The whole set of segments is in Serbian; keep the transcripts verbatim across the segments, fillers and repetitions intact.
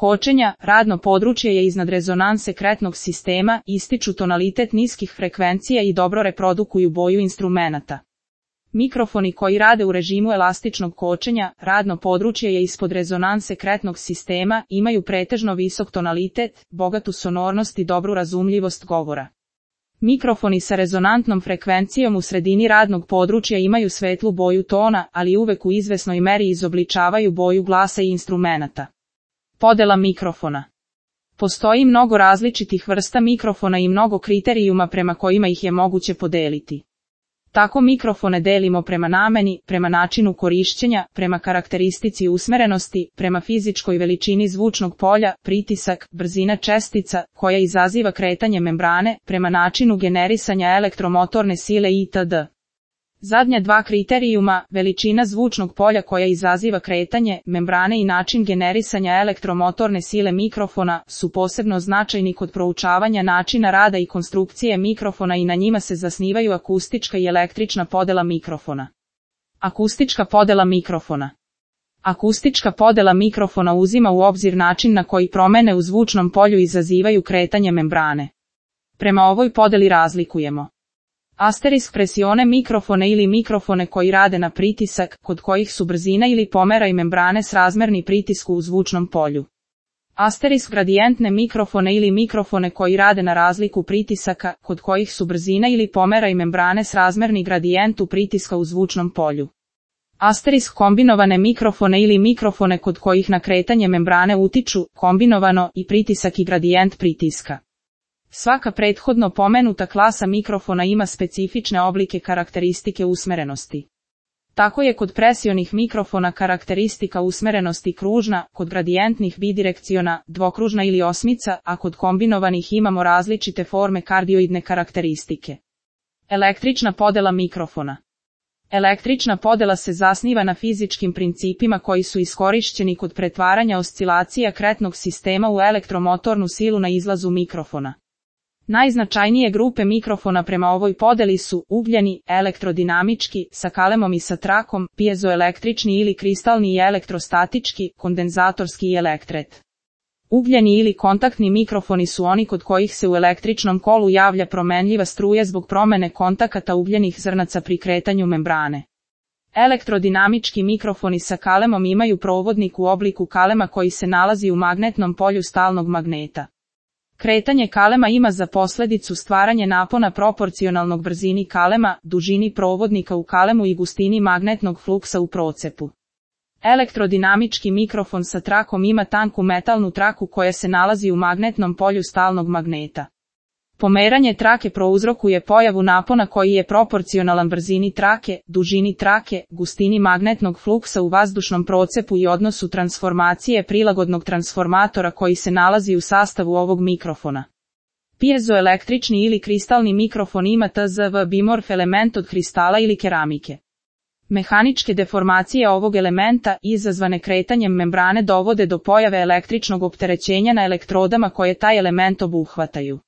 kočenja, radno područje je iznad rezonanse kretnog sistema, ističu tonalitet niskih frekvencija i dobro reprodukuju boju instrumenata. Mikrofoni koji rade u režimu elastičnog kočenja, radno područje je ispod rezonanse kretnog sistema, imaju pretežno visok tonalitet, bogatu sonornost i dobru razumljivost govora. Mikrofoni sa rezonantnom frekvencijom u sredini radnog područja imaju svetlu boju tona, ali uvek u izvesnoj meri izobličavaju boju glasa i instrumenata. Podela mikrofona. Postoji mnogo različitih vrsta mikrofona i mnogo kriterijuma prema kojima ih je moguće podeliti. Tako mikrofone delimo prema nameni, prema načinu korišćenja, prema karakteristici usmerenosti, prema fizičkoj veličini zvučnog polja, pritisak, brzina čestica, koja izaziva kretanje membrane, prema načinu generisanja elektromotorne sile itd. Zadnja dva kriterijuma, veličina zvučnog polja koja izaziva kretanje membrane i način generisanja elektromotorne sile mikrofona, su posebno značajni kod proučavanja načina rada i konstrukcije mikrofona i na njima se zasnivaju akustička i električna podela mikrofona. Akustička podela mikrofona. Akustička podela mikrofona uzima u obzir način na koji promene u zvučnom polju izazivaju kretanje membrane. Prema ovoj podeli razlikujemo asterisk presione mikrofone ili mikrofone koji rade na pritisak, kod kojih su brzina ili pomeraj membrane srazmerni pritisku u zvučnom polju. Asterisk gradijentne mikrofone ili mikrofone koji rade na razliku pritisaka, kod kojih su brzina ili pomeraj membrane srazmerni gradijentu pritiska u zvučnom polju. Asterisk kombinovane mikrofone ili mikrofone kod kojih na kretanje membrane utiču, kombinovano, i pritisak i gradijent pritiska. Svaka prethodno pomenuta klasa mikrofona ima specifične oblike karakteristike usmerenosti. Tako je kod presionih mikrofona karakteristika usmerenosti kružna, kod gradijentnih bidirekciona, dvokružna ili osmica, a kod kombinovanih imamo različite forme kardioidne karakteristike. Električna podela mikrofona. Električna podela se zasniva na fizičkim principima koji su iskorišćeni kod pretvaranja oscilacija kretnog sistema u elektromotornu silu na izlazu mikrofona. Najznačajnije grupe mikrofona prema ovoj podeli su ugljeni, elektrodinamički, sa kalemom i sa trakom, piezoelektrični ili kristalni i elektrostatički, kondenzatorski i elektret. Ugljeni ili kontaktni mikrofoni su oni kod kojih se u električnom kolu javlja promenljiva struja zbog promene kontakata ugljenih zrnaca pri kretanju membrane. Elektrodinamički mikrofoni sa kalemom imaju provodnik u obliku kalema koji se nalazi u magnetnom polju stalnog magneta. Kretanje kalema ima za posledicu stvaranje napona proporcionalnog brzini kalema, dužini provodnika u kalemu i gustini magnetnog fluksa u procepu. Elektrodinamički mikrofon sa trakom ima tanku metalnu traku koja se nalazi u magnetnom polju stalnog magneta. Pomeranje trake prouzrokuje pojavu napona koji je proporcionalan brzini trake, dužini trake, gustini magnetnog fluksa u vazdušnom procepu i odnosu transformacije prilagodnog transformatora koji se nalazi u sastavu ovog mikrofona. Piezoelektrični ili kristalni mikrofon ima T Z V bimorf element od kristala ili keramike. Mehaničke deformacije ovog elementa, izazvane kretanjem membrane, dovode do pojave električnog opterećenja na elektrodama koje taj element obuhvataju.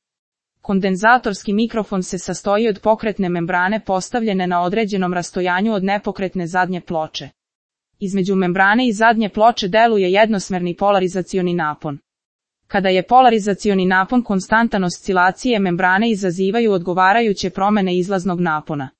Kondenzatorski mikrofon se sastoji od pokretne membrane postavljene na određenom rastojanju od nepokretne zadnje ploče. Između membrane i zadnje ploče deluje jednosmerni polarizacioni napon. Kada je polarizacioni napon konstantan, oscilacije membrane izazivaju odgovarajuće promene izlaznog napona.